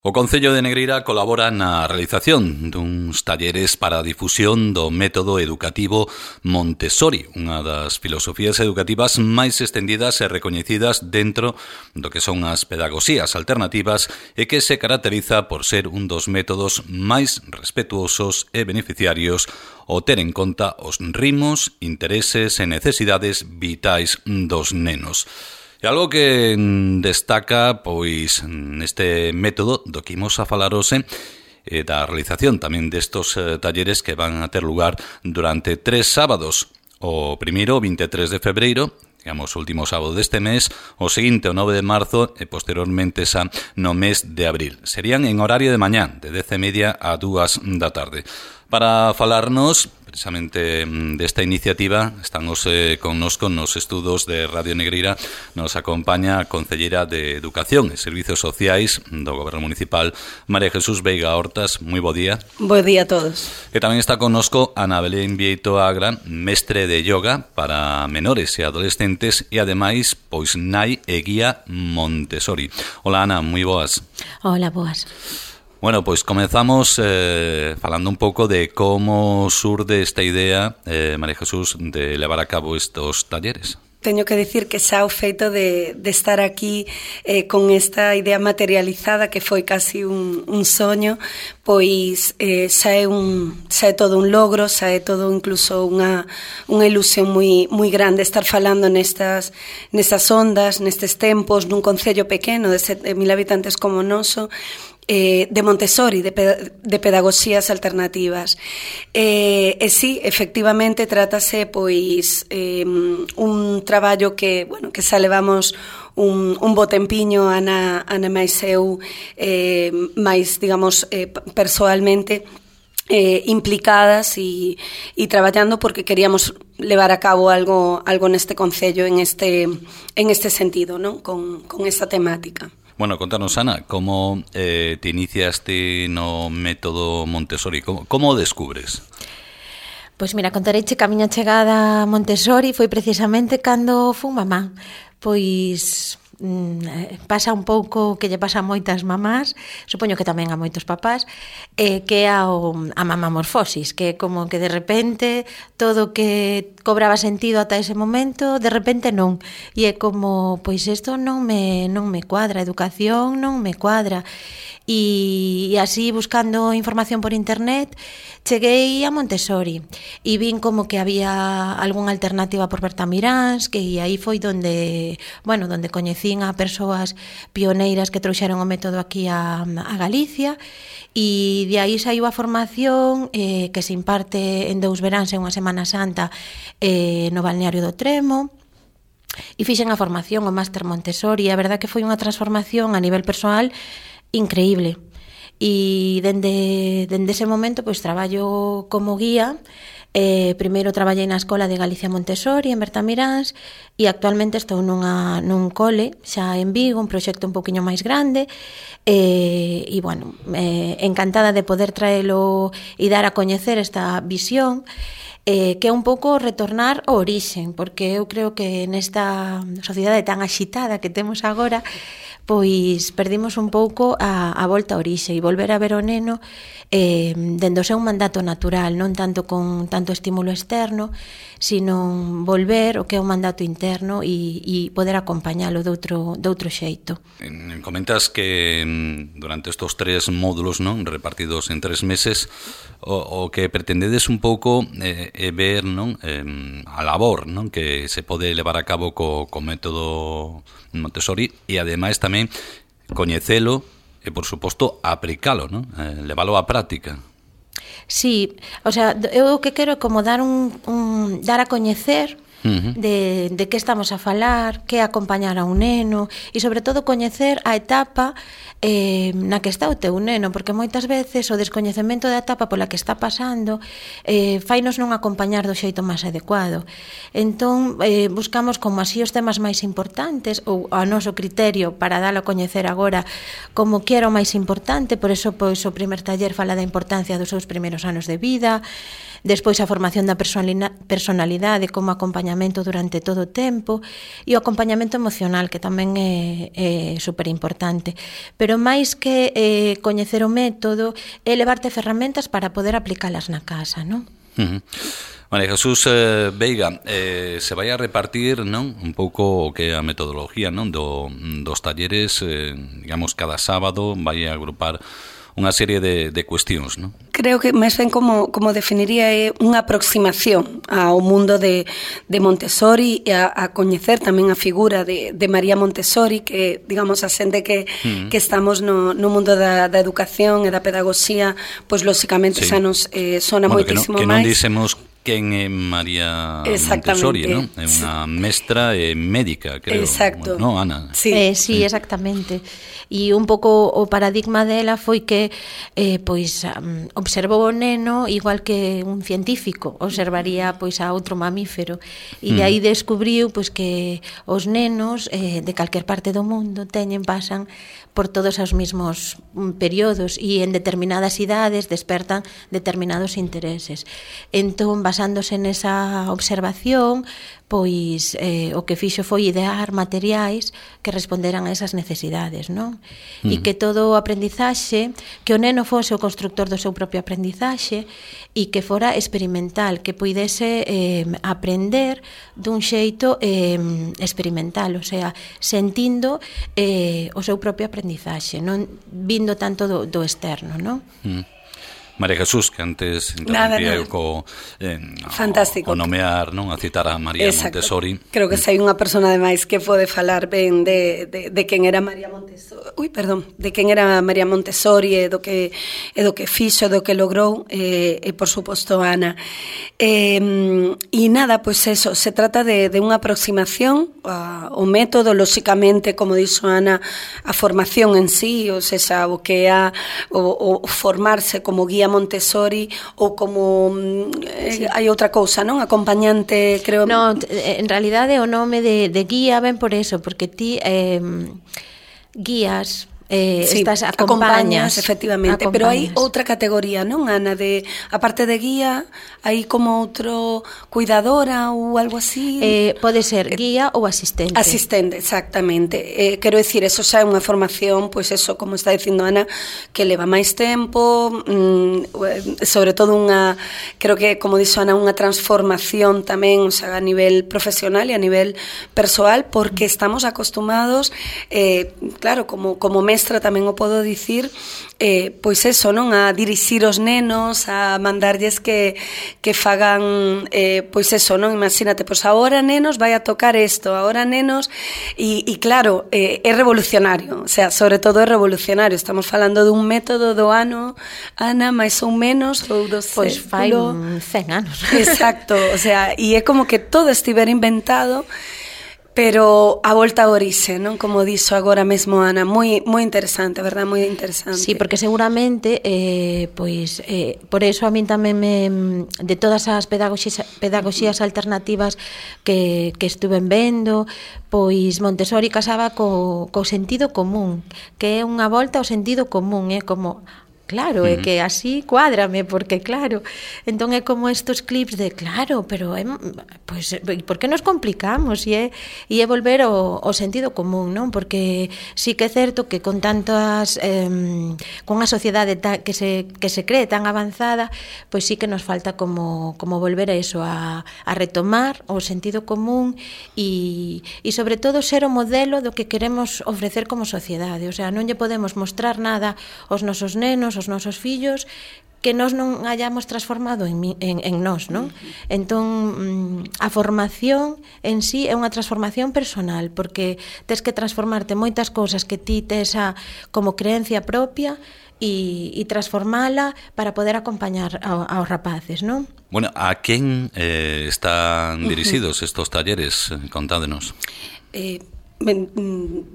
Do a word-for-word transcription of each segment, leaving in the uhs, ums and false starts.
O Concello de Negreira colabora na realización duns talleres para a difusión do método educativo Montessori, unha das filosofías educativas máis estendidas e recoñecidas dentro do que son as pedagogías alternativas e que se caracteriza por ser un dos métodos máis respetuosos e beneficiarios ao ter en conta os ritmos, intereses e necesidades vitais dos nenos. E algo que destaca, pois, neste método do que imos a falar hoxe, e da realización tamén destos eh, talleres que van a ter lugar durante tres sábados. O primeiro, vinte e tres de febreiro, digamos, o último sábado deste mes, o seguinte, o nove de marzo, e posteriormente xa no mes de abril. Serían en horario de mañá, de dez e media a dúas da tarde. Para falarnos precisamente desta iniciativa, estamos eh, connosco nos estudos de Radio Negreira, nos acompaña a Concelleira de Educación e Servizos Sociais do Goberno Municipal, María Jesús Veiga Hortas. Moi bo día. Bo día a todos. E tamén está connosco Ana Belén Vieito Agra, mestre de yoga para menores e adolescentes e ademais, pois, nai e guía Montessori. Hola, Ana, moi boas. Hola, boas. Bueno, pois comezamos eh, falando un pouco de como surde esta idea, eh, María Jesús, de levar a cabo estos talleres. Teño que dicir que xa o feito de, de estar aquí eh, con esta idea materializada, que foi casi un, un soño, pois eh, xa, é un, xa é todo un logro, xa é todo incluso unha, unha ilusión moi, moi grande estar falando nestas, nestas ondas, nestes tempos, nun concello pequeno de sete mil habitantes como o noso, Eh, de Montessori, de, de pedagogías alternativas. Eh, e sí, efectivamente, trátase pois eh, un traballo que, bueno, que xa levamos un, un bo tempiño, Ana, Ana máis eu, eh, máis, digamos, eh, persoalmente, eh, implicadas e, e traballando porque queríamos levar a cabo algo, algo neste concello en este, en este sentido, ¿no? con, con esta temática. Bueno, contanos, Ana, como eh, te iniciaste no método Montessori? Como, como o descubres? Pois mira, contareiche que a miña chegada a Montessori foi precisamente cando fun mamá. Pois mm, pasa un pouco que lle pasa a moitas mamás, supoño que tamén a moitos papás, eh, que é a, a mamamorfosis, que é como que de repente todo que cobraba sentido ata ese momento, de repente non. E é como, pois isto non me, non me cuadra, a educación non me cuadra. E, e así, buscando información por internet, cheguei a Montessori e vin como que había algunha alternativa por Bertamiráns, que aí foi donde, bueno, donde coñecín a persoas pioneiras que trouxeron o método aquí a, a Galicia, e de aí saiu a formación eh, que se imparte en dous veráns e unha Semana Santa eh, no balneario do Tremo, e fixen a formación, o Máster Montessori, e a verdad que foi unha transformación a nivel persoal increíble. E dende, dende ese momento pois traballo como guía. Eh, primeiro traballei na Escola de Galicia Montessori en Bertamiráns e actualmente estou nunha, nun cole xa en Vigo, un proxecto un poquinho máis grande, eh, e bueno, eh, encantada de poder traelo e dar a coñecer esta visión, eh, que é un pouco retornar ao orixen, porque eu creo que nesta sociedade tan axitada que temos agora, pois perdimos un pouco a, a volta a orixe e volver a ver o neno eh, dende o seu mandato natural, non tanto con tanto estímulo externo, sino volver o que é o mandato interno e, e poder acompañalo de outro, de outro xeito. Comentas que durante estos tres módulos, non, repartidos en tres meses, o, o que pretendedes un pouco é eh, ver, non, eh, a labor, non, que se pode levar a cabo co, co método Montessori e ademais tamén coñecelo e, por suposto, aplicalo, non? Eh, levalo á práctica. Sí, o sea, eu o que quero é como dar un, un dar a coñecer uh-huh. de, de que estamos a falar, que é acompañar a un neno e, sobre todo, coñecer a etapa eh, na que está o teu neno, porque moitas veces o descoñecemento da etapa pola que está pasando eh, fainos non acompañar do xeito máis adecuado. Entón, eh, buscamos como así os temas máis importantes, ou a noso criterio para dalo a coñecer agora como que era o máis importante, por eso pois, o primer taller fala da importancia dos seus primeiros anos de vida, Despois a formación da personalidade como acompañamento durante todo o tempo e o acompañamento emocional, que tamén é, é superimportante. Pero máis que eh, coñecer o método, é levarte ferramentas para poder aplicalas na casa, non? Uh-huh. María Jesús eh, Veiga, eh, se vai a repartir, non, un pouco o que é a metodología, non, do, dos talleres, eh, digamos, cada sábado vai a agrupar unha serie de, de cuestións, non? Creo que máis ben como, como definiría é unha aproximación ao mundo de, de Montessori e a, a coñecer tamén a figura de, de María Montessori, que, digamos, a xente que, mm. que estamos no, no mundo da, da educación e da pedagogía, pois, lóxicamente, sí. xa nos eh, sona bueno, moitísimo que non, que non máis. Dicemos quen é María Montessori, non? É unha mestra e médica, creo. Exacto. Bueno, non, Ana? Sí, eh, sí, exactamente. E un pouco o paradigma dela foi que eh, pois um, observou o neno igual que un científico observaría pois a outro mamífero, e de aí descubriu pois que os nenos eh, de calquer parte do mundo teñen, pasan por todos os mesmos períodos e en determinadas idades despertan determinados intereses. Entón, basándose nesa observación, pois eh, o que fixo foi idear materiais que responderan a esas necesidades, non? Mm. E que todo o aprendizaxe, que o neno fose o constructor do seu propio aprendizaxe e que fora experimental, que puidese eh, aprender dun xeito eh, experimental, o sea, sentindo eh, o seu propio aprendizaxe, non vindo tanto do, do externo, non? Mm. María Jesús, que antes interrumpía eu co eh, fantástico. O nomear, non, a citar a María Exacto. Montessori. Creo que sei unha persona ademais que pode falar ben de, de, de quen era María Montessori. Ui, perdón, de quen era María Montessori e do que e do que fixo, do que logrou e, e por suposto Ana. E, e nada, pois pues eso, se trata de, de unha aproximación ao método, lóxicamente, como dixo Ana, a formación en sí, ou seja, o que é o, o formarse como guía Montessori ou como eh, sí. hai outra cousa, non? Acompañante, creo. No, en realidade o nome de, de guía ven por eso, porque ti eh, guías eh, sí, estas acompañas, acompañas efectivamente, acompañas. Pero hai outra categoría, non, Ana, de aparte de guía, hai como outro cuidadora ou algo así. Eh, pode ser guía ou asistente. Asistente, exactamente. Eh, quero dicir, eso xa é unha formación, pois pues eso, como está dicindo Ana, que leva máis tempo, mmm, sobre todo unha, creo que, como dixo Ana, unha transformación tamén, o sea, a nivel profesional e a nivel persoal, porque estamos acostumados, eh, claro, como, como mestre tamén o podo dicir, eh, pois eso, non, a dirixir os nenos, a mandarlles que, que fagan, eh, pois eso, non, imagínate, pois agora nenos vai a tocar isto, agora nenos, e, e claro, eh, é revolucionario, o sea, sobre todo é revolucionario, estamos falando dun método do ano, Ana, máis ou menos, ou do pois fai cen anos. Exacto, o sea, e é como que todo estivera inventado, pero a volta a orixe, non? Como dixo agora mesmo Ana, moi moi interesante, verdad, moi interesante. Sí, porque seguramente eh, pois eh, por eso a min tamén me, de todas as pedagogías, pedagogías alternativas que, que estuven vendo, pois Montessori casaba co, co sentido común, que é unha volta ao sentido común, é como claro, é que así cuádrame, porque claro, entón é como estos clips de claro, pero é, pois, por que nos complicamos? E é, e é volver ao, ao sentido común, non? Porque sí que é certo que con tantas eh, con unha sociedade ta, que, se, que se cree tan avanzada, pois sí que nos falta como, como volver a eso, a, a retomar o sentido común e, e sobre todo ser o modelo do que queremos ofrecer como sociedade, o sea, non lle podemos mostrar nada aos nosos nenos, os nosos fillos que nós non hayamos transformado en, en, en nós, non? Entón, a formación en sí é unha transformación personal, porque tes que transformarte moitas cousas que ti tes a, como creencia propia e, e transformala para poder acompañar a, aos rapaces, non? Bueno, a quen eh, están dirixidos estos talleres? Contádenos. Eh... Ben,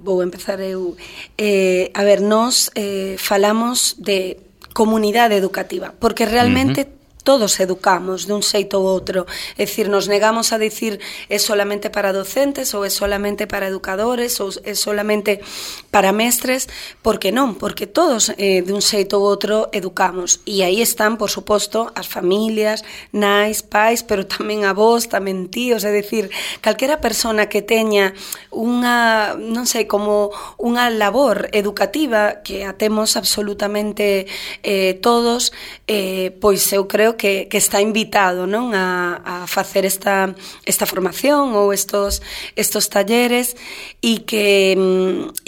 vou empezar eu. Eh, a ver, nós eh, falamos de comunidade educativa, porque realmente uh-huh. todos educamos de un xeito ou outro. É dicir, nos negamos a dicir é solamente para docentes ou é solamente para educadores ou é solamente para mestres, porque non, porque todos eh, de un xeito ou outro educamos. E aí están, por suposto, as familias, nais, pais, pero tamén avós, tamén tíos, é dicir, calquera persona que teña unha, non sei, como unha labor educativa que a temos absolutamente eh, todos, eh, pois eu creo que, que está invitado, non, a, a facer esta, esta formación ou estos, estos talleres e que,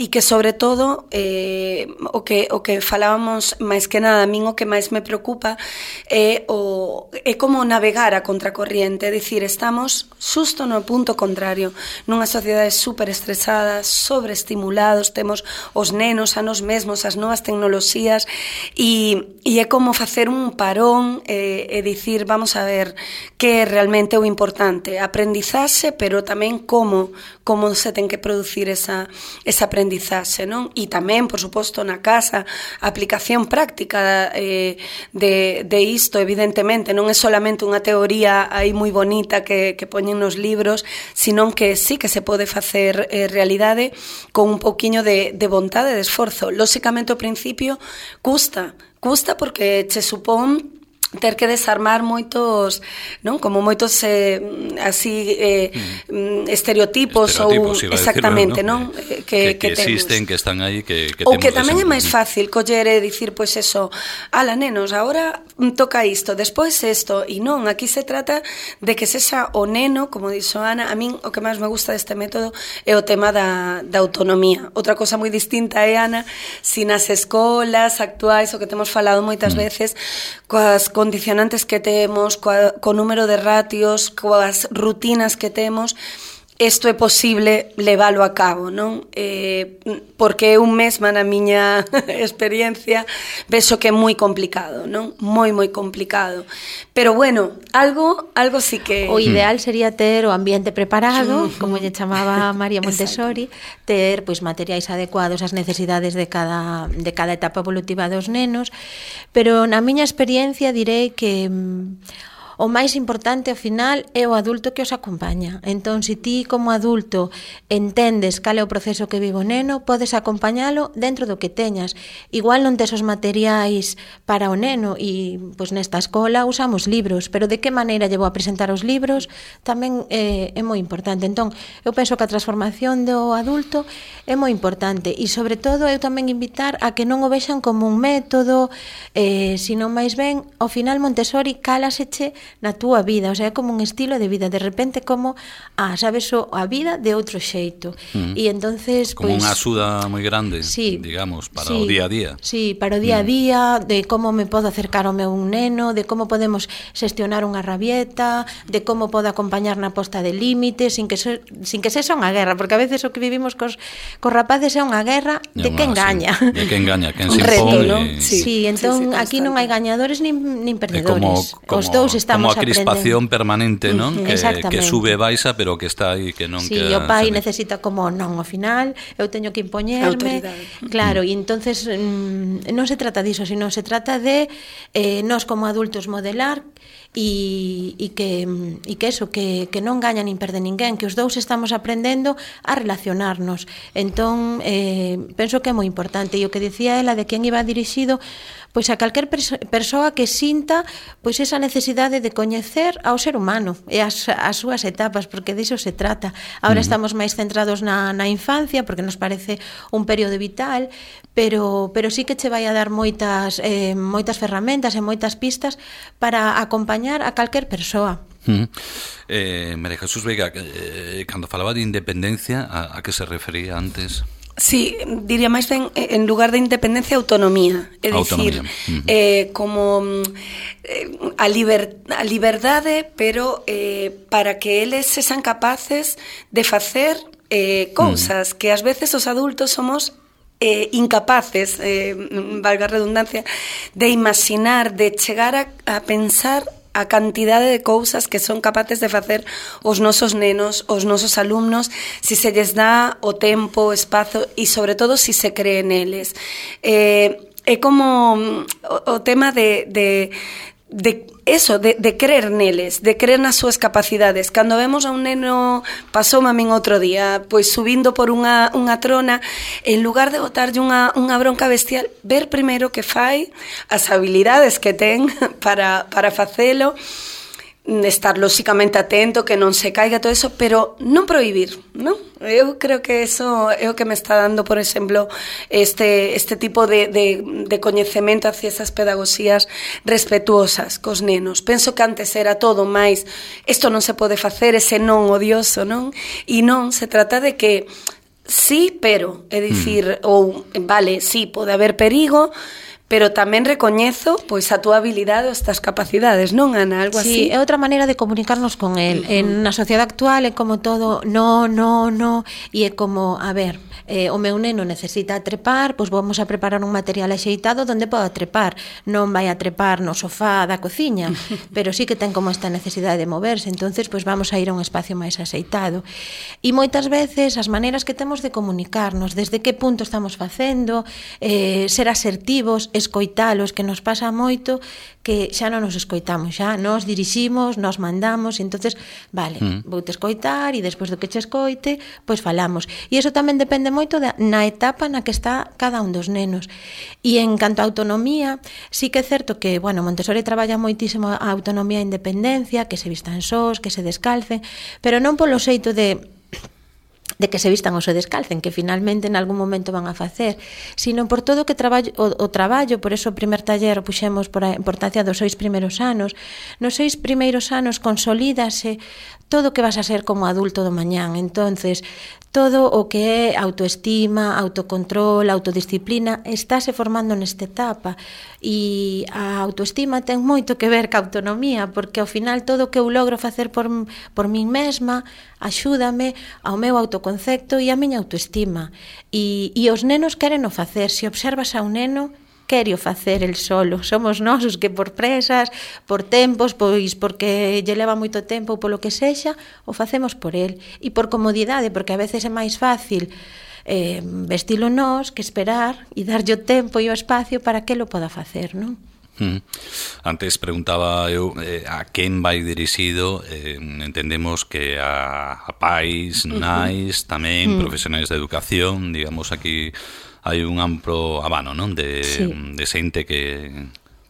e que sobre todo eh, o, que, o que falábamos máis que nada, a min o que máis me preocupa é, o, é como navegar a contracorriente, é dicir, estamos xusto no punto contrario, nunha sociedade super estresada, sobreestimulados, temos os nenos a nos mesmos, as novas tecnoloxías e, e é como facer un parón e, e dicir, vamos a ver que é realmente o importante, aprendizaxe, pero tamén como como se ten que producir esa, esa aprendizaxe, non? E tamén, por suposto, na casa, a aplicación práctica eh, de, de isto, evidentemente, non é solamente unha teoría aí moi bonita que, que poñen nos libros, sino que sí que se pode facer eh, realidade con un pouquiño de, de vontade, de esforzo. Lóxicamente, ao principio, custa, custa porque che supón ter que desarmar moitos, non, como moitos eh, así eh, mm. estereotipos, estereotipos ou exactamente, decirlo, ¿no? non? Que, que, que, que existen, que están aí, que, que ou que tamén é máis fácil coller e dicir, pois eso, ala nenos, agora toca isto, despois isto, e non, aquí se trata de que sexa o neno, como dixo Ana, a min o que máis me gusta deste método é o tema da, da autonomía. Outra cosa moi distinta é, Ana, si nas escolas actuais, o que temos falado moitas mm. veces, coas condicionantes que temos, coa, co número de ratios, coas rutinas que temos, isto é posible leválo a cabo, non? Eh, porque eu mesma na miña experiencia vexo que é moi complicado, non? Moi, moi complicado. Pero bueno, algo algo sí que... O ideal sería ter o ambiente preparado, como lle chamaba María Montessori, ter pois materiais adecuados ás necesidades de cada de cada etapa evolutiva dos nenos, pero na miña experiencia direi que o máis importante ao final é o adulto que os acompaña. Entón, se ti como adulto entendes cal é o proceso que vive o neno, podes acompañalo dentro do que teñas. Igual non tes os materiais para o neno e pois nesta escola usamos libros, pero de que maneira lle vou a presentar os libros tamén é, é moi importante. Entón, eu penso que a transformación do adulto é moi importante e, sobre todo, eu tamén invitar a que non o vexan como un método, eh, sino máis ben, ao final Montessori cálaseche na túa vida, o sea, é como un estilo de vida, de repente como, ah, sabes, o, a vida de outro xeito. Mm. E entonces, como pues, unha axuda moi grande, sí, digamos, para sí, o día a día. Sí, para o día a día, mm. de como me podo acercar ao meu neno, de como podemos xestionar unha rabieta, de como podo acompañar na posta de límites, sin que se, sin que sexa unha guerra, porque a veces o que vivimos cos, cos rapaces é unha guerra de que engaña. Sí, de que engaña, que se impón. ¿no? Y... Sí, sí, entón sí, sí, aquí non hai gañadores nin, nin perdedores. Como, como, os dous estamos como a crispación aprendendo. Permanente, non? Uh-huh, que, que sube e baixa, pero que está aí, que non... Sí, que, o pai necesita como, non, ao final eu teño que impoñerme. Claro, e entonces mm, non se trata diso, sino se trata de eh, nós como adultos modelar e, e, que, e que eso, que, que non gaña nin perde ninguén, que os dous estamos aprendendo a relacionarnos. Entón, eh, penso que é moi importante. E o que dicía ela de quen iba dirixido, pois a calquer perso- persoa que sinta pois esa necesidade de coñecer ao ser humano e as, as súas etapas, porque diso se trata. Ahora uh-huh. estamos máis centrados na, na infancia, porque nos parece un período vital, pero, pero sí que che vai a dar moitas, eh, moitas ferramentas e moitas pistas para acompañar a calquer persoa. Uh-huh. eh, María Jesús Veiga, eh, cando falaba de independencia, a, a que se refería antes? Sí, diría máis ben, en lugar de independencia, autonomía. É dicir, uh-huh. eh, como eh, a, liber, a liberdade, pero eh, para que eles sexan capaces de facer eh, cousas uh-huh. que ás veces os adultos somos eh, incapaces, eh, valga a redundancia, de imaginar, de chegar a, a pensar a cantidade de cousas que son capaces de facer os nosos nenos, os nosos alumnos, si se lles dá o tempo, o espazo e, sobre todo, si se cree neles. Eh, é como o, o tema de, de, de eso, de, de creer neles, de creer nas súas capacidades. Cando vemos a un neno, pasoume a min outro día, pois subindo por unha, unha trona, en lugar de botarlle unha, unha bronca bestial, ver primeiro que fai, as habilidades que ten para, para facelo, estar lóxicamente atento, que non se caiga todo eso, pero non prohibir, non? Eu creo que eso é o que me está dando, por exemplo, este, este tipo de, de, de coñecemento hacia esas pedagogías respetuosas cos nenos. Penso que antes era todo máis, isto non se pode facer, ese non odioso, non? E non, se trata de que sí, pero, é dicir, mm. ou, vale, sí, pode haber perigo, pero tamén recoñezo pois a túa habilidade ou estas capacidades, non, Ana? Algo sí, así. É outra maneira de comunicarnos con el. Uh-huh. En na sociedade actual é como todo no, no, no, e é como, a ver, eh, o meu neno necesita trepar, pois vamos a preparar un material axeitado donde poda trepar. Non vai a trepar no sofá da cociña, pero sí que ten como esta necesidade de moverse, entonces pois vamos a ir a un espacio máis axeitado. E moitas veces as maneiras que temos de comunicarnos, desde que punto estamos facendo, eh, ser asertivos, escoitalos, que nos pasa moito que xa non nos escoitamos, xa nos diriximos, nos mandamos, e entonces, vale, mm. vou te escoitar e despois do que che escoite, pois falamos. E iso tamén depende moito da, na etapa na que está cada un dos nenos. E en canto a autonomía, sí que é certo que, bueno, Montessori traballa moitísimo a autonomía e independencia, que se vistan sós, que se descalcen, pero non polo xeito de de que se vistan ou se descalcen, que finalmente en algún momento van a facer, sino por todo que traballo, o, o traballo, por eso o primer taller puxemos por a importancia dos seis primeiros anos. Nos seis primeiros anos consolídase todo o que vas a ser como adulto do mañán. Entonces, todo o que é autoestima, autocontrol, autodisciplina, estáse formando nesta etapa. E a autoestima ten moito que ver ca autonomía, porque ao final todo o que eu logro facer por, por min mesma axúdame ao meu autoconcepto e a miña autoestima. E, e os nenos queren o facer. Se observas a un neno, quere o facer el solo. Somos nós os que por presas, por tempos, pois porque lle leva moito tempo ou polo que sexa, o facemos por el. E por comodidade, porque a veces é máis fácil eh, vestilo nós que esperar e darlle o tempo e o espacio para que lo poda facer, non? Mm. Antes preguntaba eu eh, a quen vai dirixido, eh, entendemos que a, a pais, nais, tamén mm. profesionais de educación, digamos aquí hai un amplo abano, non, de, sí. de xente que,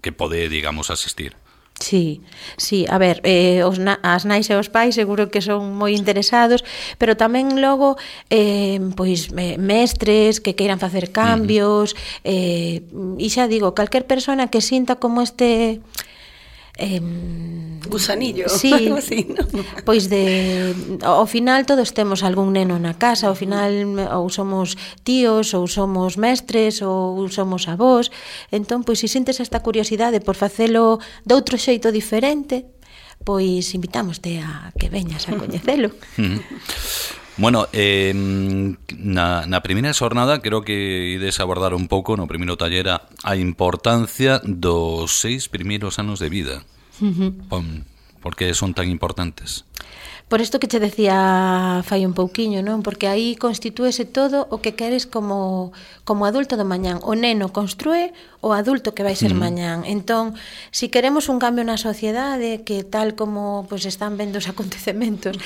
que pode, digamos, asistir. Sí, sí, a ver, eh, os na, as nais e os pais seguro que son moi interesados, pero tamén logo eh, pois eh, mestres que queiran facer cambios, uh-huh. eh, e xa digo, calquer persona que sinta como este eh, gusanillo, sí, así, ¿no? Pois de ao final todos temos algún neno na casa, ao final ou somos tíos, ou somos mestres, ou somos avós. Entón, pois se sintes esta curiosidade por facelo de outro xeito diferente, pois invitámoste a que veñas a coñecelo. Bueno, eh, na, na primeira xornada creo que ides abordar un pouco no primeiro taller a importancia dos seis primeiros anos de vida. Uh-huh. Por que son tan importantes? Por isto que che decía fai un pouquiño, non? Porque aí constitúese todo o que queres como, como adulto do mañán. O neno construe o adulto que vai ser mm. mañán. Entón, si queremos un cambio na sociedade, que tal como pues, están vendo os acontecementos,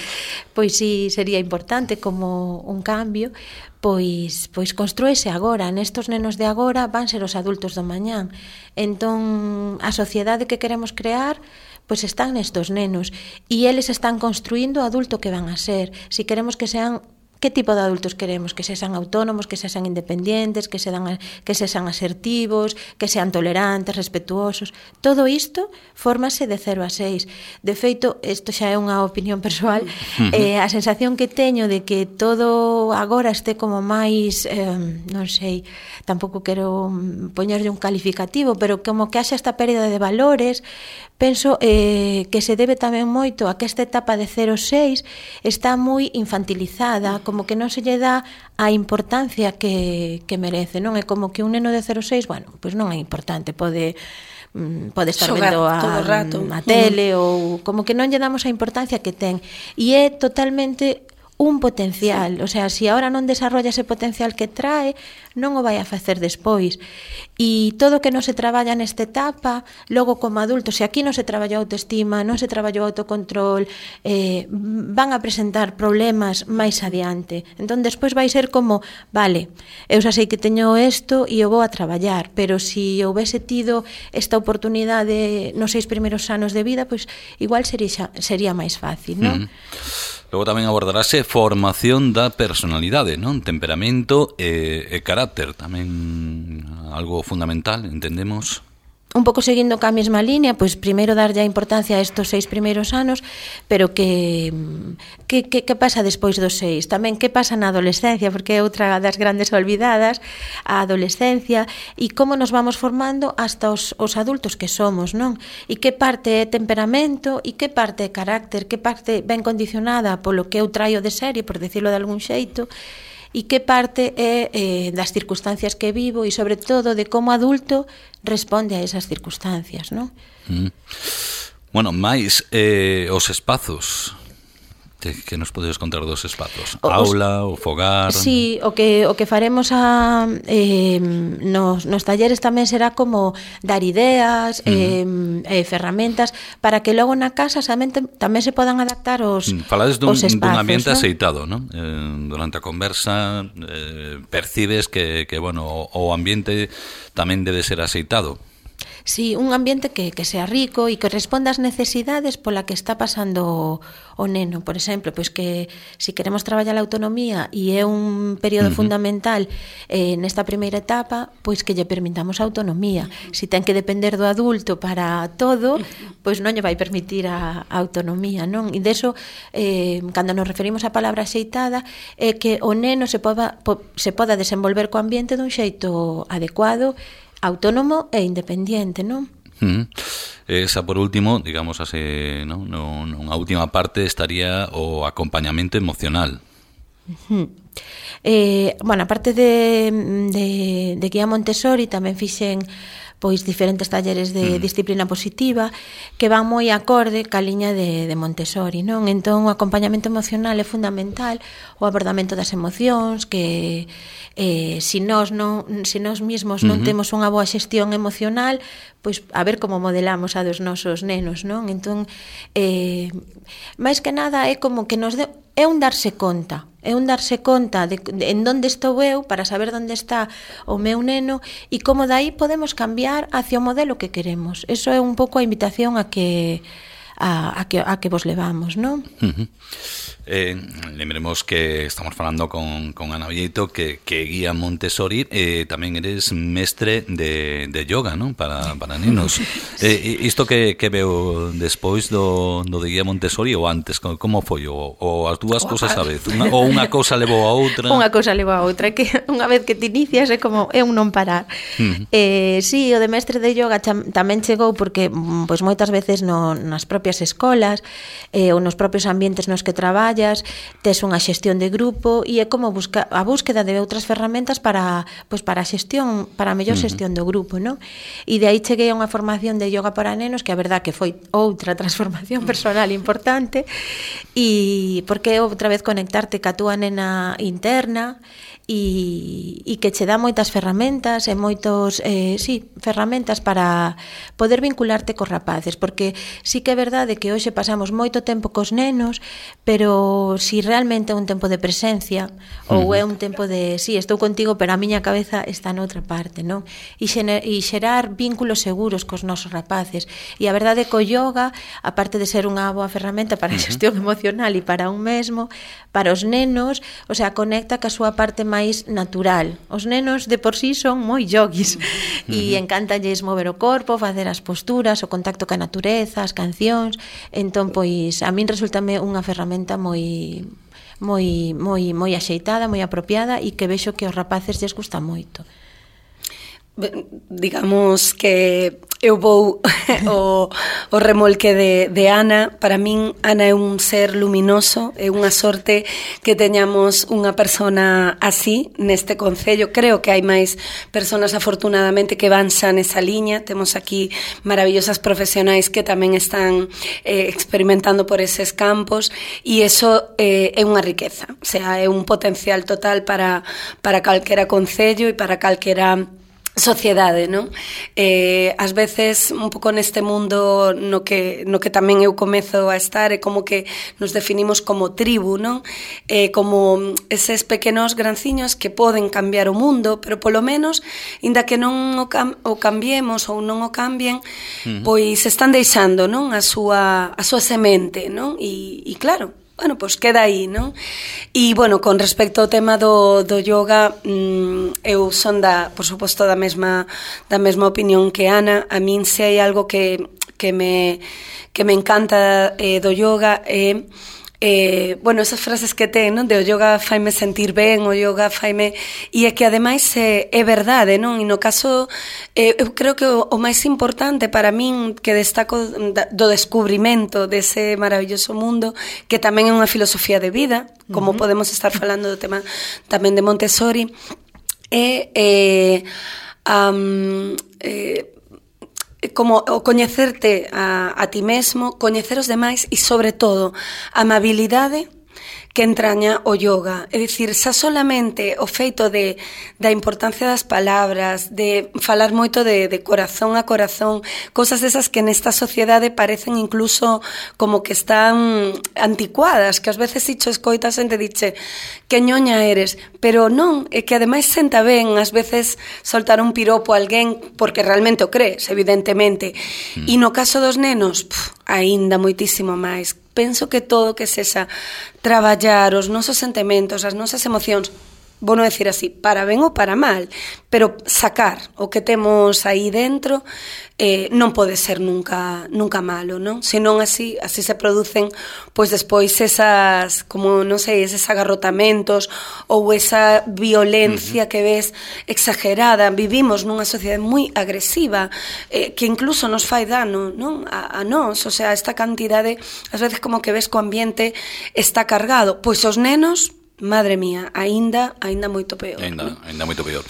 pois si sería importante como un cambio, pois, pois construese agora. Nestos nenos de agora van ser os adultos do mañán. Entón, a sociedade que queremos crear pois están nestos nenos e eles están construindo o adulto que van a ser. Si queremos que sean, que tipo de adultos queremos? Que sexan autónomos, que sexan independientes, que sexan, que sexan asertivos, que sean tolerantes, respetuosos. Todo isto fórmase de cero a seis. De feito, isto xa é unha opinión persoal, eh, a sensación que teño de que todo agora este como máis, eh, non sei, tampouco quero poñerlle un calificativo, pero como que haxa esta pérdida de valores, penso eh, que se debe tamén moito a que esta etapa de cero a seis está moi infantilizada, como que non se lle dá a importancia que, que merece, non? É como que un neno de cero a seis, bueno, pois non é importante, pode pode estar xogar vendo a, rato. a tele, uh-huh. ou como que non lle damos a importancia que ten. E é totalmente un potencial, sí. O sea, si ahora non desarrolla ese potencial que trae, non o vai a facer despois. E todo o que non se traballa nesta etapa, logo como adulto, se aquí non se traballou autoestima, non se traballou autocontrol, eh, van a presentar problemas máis adiante. Entón, despois vai ser como, vale, eu xa sei que teño isto e eu vou a traballar, pero se si houvese tido esta oportunidade nos seis primeiros anos de vida, pois igual sería, sería máis fácil, non? Mm. Logo tamén abordarase formación da personalidade, non? Temperamento e, e carácter, tamén algo fundamental, entendemos. Un pouco seguindo ca mesma línea, pois primeiro darlle a importancia a estos seis primeiros anos, pero que que, que, que pasa despois dos seis? Tamén que pasa na adolescencia, porque é outra das grandes olvidadas, a adolescencia, e como nos vamos formando hasta os, os adultos que somos, non? E que parte é temperamento, e que parte é carácter, que parte ben condicionada polo que eu traio de serie, por decirlo de algún xeito, e que parte é eh, das circunstancias que vivo e, sobre todo, de como adulto responde a esas circunstancias, non? Mm. Bueno, máis eh, os espazos. Que, que nos podes contar dos espazos? O, Aula, o fogar? Sí, o que, o que faremos a, eh, nos, nos talleres tamén será como dar ideas, uh-huh. eh, eh, ferramentas, para que logo na casa tamén, tamén se podan adaptar os, Falades dun, os espazos. Dun ambiente, ¿no? aceitado, ¿no? Eh, durante a conversa eh, percibes que, que bueno, o, o ambiente tamén debe ser aceitado. Sí, un ambiente que, que sea rico e que responda ás necesidades pola que está pasando o neno. Por exemplo, pois que se si queremos traballar a autonomía e é un período uh-huh. fundamental eh, nesta primeira etapa, pois que lle permitamos a autonomía. Se si ten que depender do adulto para todo, pois non lle vai permitir a, a autonomía, non? E deso, eh, cando nos referimos á palabra axeitada, é que o neno se poda, po, se poda desenvolver co ambiente dun xeito adecuado, autónomo e independiente, non? Mm. Esa, por último, digamos, así, ¿no? No, no, unha última parte estaría o acompañamento emocional. Uh-huh. Eh, bueno, aparte de, de, de guía Montessori, tamén fixen pois diferentes talleres de mm. disciplina positiva que van moi acorde ca liña de, de Montessori, non? Entón, o acompañamento emocional é fundamental, o abordamento das emocións, que eh, se nós non, se nós mesmos non uh-huh. temos unha boa xestión emocional, pois a ver como modelamos a dos nosos nenos, non? Entón, eh, máis que nada é como que nos de, é un darse conta, é un darse conta de, de en donde estou eu para saber onde está o meu neno e como dai podemos cambiar hacia o modelo que queremos. Eso é un pouco a invitación a que a, a que a que vos levamos, non? Uh-huh. Eh, lembremos que estamos falando con, con Ana Vieito, que, que guía Montessori, eh, tamén eres mestre de, de yoga, non? Para, para nenos. Eh, isto que, que veo despois do, do de guía Montessori ou antes, como foi? Ou, ou as dúas cousas a vez? Una, ou unha cousa levou a outra? Unha cousa levou a outra, que unha vez que te inicias é como é un non parar. Uh-huh. Eh, sí, o de mestre de yoga cham, tamén chegou porque pois moitas veces no, nas propias escolas eh, ou nos propios ambientes nos que traballas tes unha xestión de grupo e é como busca, a búsqueda de outras ferramentas para, pois para a xestión, para a mellor xestión do grupo, non? E de aí cheguei a unha formación de yoga para nenos que a verdad que foi outra transformación personal importante e porque é outra vez conectarte ca túa nena interna e, e que che dá moitas ferramentas e moitos, eh, sí, ferramentas para poder vincularte cos rapaces, porque sí que é verdade que hoxe pasamos moito tempo cos nenos, pero si realmente é un tempo de presencia ou é un tempo de, sí, estou contigo, pero a miña cabeza está noutra parte, non? E, xener, e xerar vínculos seguros cos nosos rapaces. E a verdade é que o yoga, aparte de ser unha boa ferramenta para a xestión emocional e para un mesmo, para os nenos, o sea, conecta ca súa parte máis natural. Os nenos de por sí son moi yogis e encántalles mover o corpo, facer as posturas, o contacto ca natureza, as cancións. Entón, pois, a min resultame unha ferramenta moi moi moi moi axeitada, moi apropiada e que vexo que aos rapaces lles gusta moito. Digamos que eu vou o, o remolque de, de Ana. Para min, Ana é un ser luminoso, é unha sorte que teñamos unha persona así neste concello. Creo que hai máis personas afortunadamente que van xa nesa liña. Temos aquí maravillosas profesionais que tamén están eh, experimentando por eses campos e eso eh, é unha riqueza, o sea, é un potencial total para, para calquera concello e para calquera sociedade, non? Eh, ás veces, un pouco neste mundo no que, no que tamén eu comezo a estar, é como que nos definimos como tribu, non? Eh, como eses pequenos granciños que poden cambiar o mundo, pero polo menos, inda que non o, cam o cambiemos ou non o cambien, uh-huh. pois están deixando, non? A súa, a súa semente, non? E, e claro, bueno, pois queda aí, non? E, bueno, con respecto ao tema do, do yoga, mmm, eu son da, por suposto, da mesma, da mesma opinión que Ana. A min se hai algo que, que, me, que me encanta eh, do yoga é... Eh, Eh, bueno, esas frases que ten, non? De o yoga faime sentir ben, o yoga faime... E é que, ademais, é, é verdade, non? E no caso, eh, eu creo que o, o máis importante para min que destaco do descubrimento dese maravilloso mundo, que tamén é unha filosofía de vida, como uh-huh. podemos estar falando do tema tamén de Montessori, é... Eh, um, eh, como o coñecerte a, a ti mesmo, coñecer os demais e, sobre todo, a amabilidade que entraña o yoga. É dicir, xa solamente o feito de, da importancia das palabras, de falar moito de, de corazón a corazón, cosas desas que nesta sociedade parecen incluso como que están anticuadas, que ás veces dicho escoitas xente diche que ñoña eres, pero non, é que ademais senta ben ás veces soltar un piropo a alguén porque realmente o crees, evidentemente. Mm. E no caso dos nenos, pff, aínda moitísimo máis. Penso que todo que sexa traballar os nosos sentimentos, as nosas emocións, vou non decir así, para ben ou para mal, pero sacar o que temos aí dentro eh, non pode ser nunca nunca malo, non? Senón así, así se producen pois despois esas, como non sei, eses agarrotamentos ou esa violencia uh-huh. que ves exagerada. Vivimos nunha sociedade moi agresiva eh, que incluso nos fai dano, non? A, a nós, o sea, esta cantidade, ás veces como que ves que o ambiente está cargado, pois os nenos, madre mía, aínda aínda moito peor. Aínda, aínda moito peor.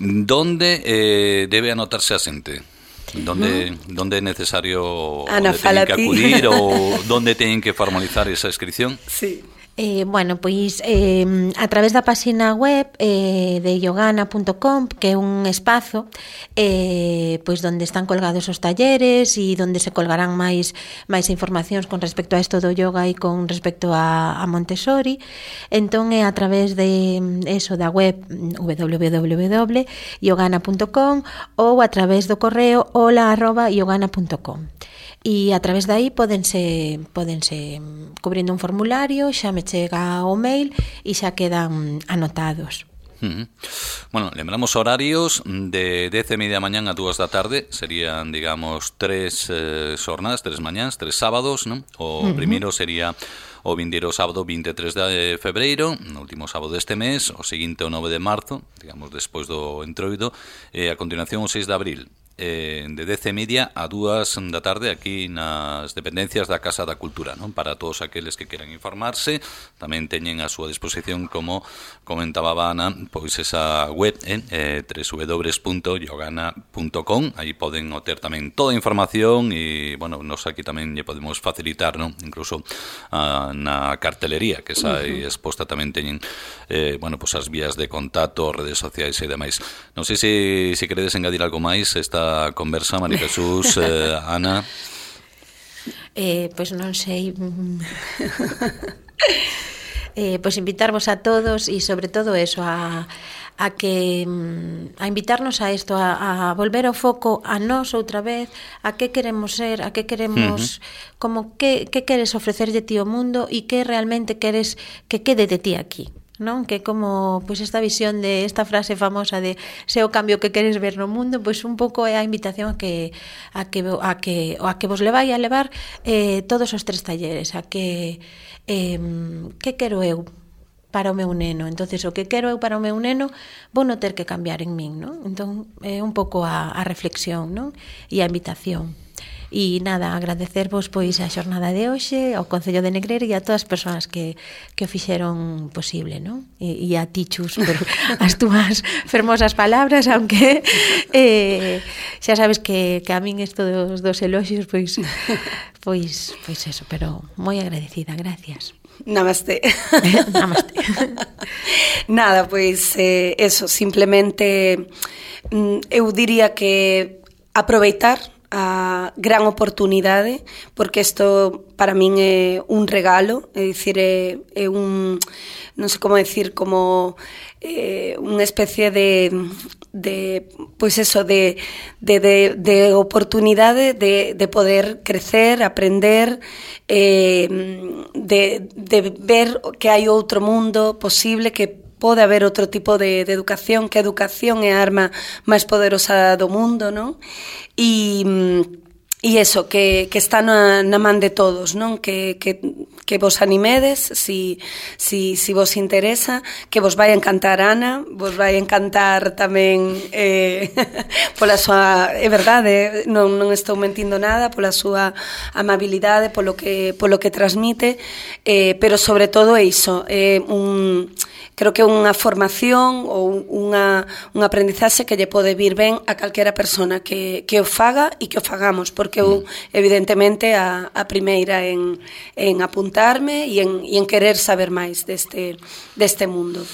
Donde eh, debe anotarse a xente? Donde, ¿no? Donde é necesario Ana, onde teñen que ti. acudir ou donde teñen que formalizar esa inscripción? Sí. Eh, bueno, pois eh, a través da página web eh, de yogana punto com, que é un espazo eh, pois onde están colgados os talleres e onde se colgarán máis máis informacións con respecto a isto do yoga e con respecto a, a Montessori. Entón é a través de eso da web w w w punto yogana punto com ou a través do correo hola arroba yogana punto com. E a través de aí podense, podense cubrindo un formulario, xa me chega o mail e xa quedan anotados. Uh-huh. Bueno, lembramos horarios de dez e media mañán a dúas da tarde, serían, digamos, tres eh, xornadas, tres mañáns, tres sábados, ¿no? O uh-huh. primeiro sería o vindeiro sábado vinte e tres de febreiro, no último sábado deste mes, o seguinte o nove de marzo, digamos, despois do entroido, e a continuación o seis de abril. Eh, de dez e media a dúas da tarde aquí nas dependencias da Casa da Cultura, non? Para todos aqueles que queran informarse, tamén teñen a súa disposición, como comentaba Ana, pois esa web en eh, w w w punto yogana punto com. Aí poden obter tamén toda a información e, bueno, nos aquí tamén lle podemos facilitar, non? Incluso ah, na cartelería que xa uh-huh. exposta tamén teñen eh, bueno, pois as vías de contacto, redes sociais e demais. Non sei se, se queredes engadir algo máis esta conversa, María Jesús, eh, Ana. Eh, pois pues non sei. eh, pois pues invitarvos a todos e sobre todo eso a a que a invitarnos a isto, a, a volver o foco a nós outra vez, a que queremos ser, a que queremos, uh-huh. como que que queres ofrecerlle ti ao mundo e que realmente queres que quede de ti aquí. Non? Que como pois esta visión de esta frase famosa de se o cambio que queres ver no mundo, pois un pouco é a invitación a que a que a que a que vos levai a levar eh, todos os tres talleres, a que eh, que quero eu para o meu neno. Entonces, o que quero eu para o meu neno, vou non ter que cambiar en min, non? Entón, é un pouco a, a reflexión, non? E a invitación. E nada, agradecervos pois a xornada de hoxe, ao Concello de Negreira e a todas as persoas que, que o fixeron posible, non? E, e a ti, Chus, por as túas fermosas palabras, aunque eh, xa sabes que, que a min isto dos, dos eloxios, pois, pois, pois eso, pero moi agradecida, gracias. Namaste. Namaste. Nada, pois eh, eso, simplemente eu diría que aproveitar a gran oportunidade, porque isto para min é un regalo, é dicir, é, é un, non sei como decir, como eh, unha especie de, de pois eso, de, de, de, de oportunidade de, de poder crecer, aprender, eh, de, de ver que hai outro mundo posible, que pode haber outro tipo de, de educación, que a educación é a arma máis poderosa do mundo, non? E, e eso, que, que está na, na man de todos, non? Que, que, que vos animedes, si, si, si vos interesa, que vos vai encantar Ana, vos vai encantar tamén, eh, pola súa, é verdade, non, non estou mentindo nada, pola súa amabilidade, polo que, polo que transmite, eh, pero sobre todo é iso, é un... Creo que é unha formación ou unha, un aprendizaxe que lle pode vir ben a calquera persona que, que o faga e que o fagamos, porque eu, evidentemente, a, a primeira en, en apuntarme e en, e en querer saber máis deste, deste mundo.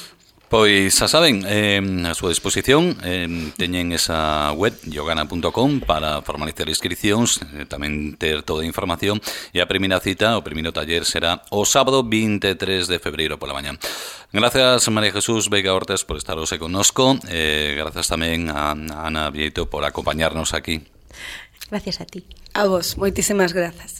Pois xa saben, eh, a súa disposición eh, teñen esa web yogana punto com para formalizar inscricións, eh, tamén ter toda a información, e a primeira cita, o primeiro taller será o sábado vinte e tres de febreiro pola mañá. Gracias, María Jesús Veiga Ortes, por estar hoxe connosco, eh, gracias tamén a Ana Vieito por acompañarnos aquí. Gracias a ti. A vos, moitísimas grazas.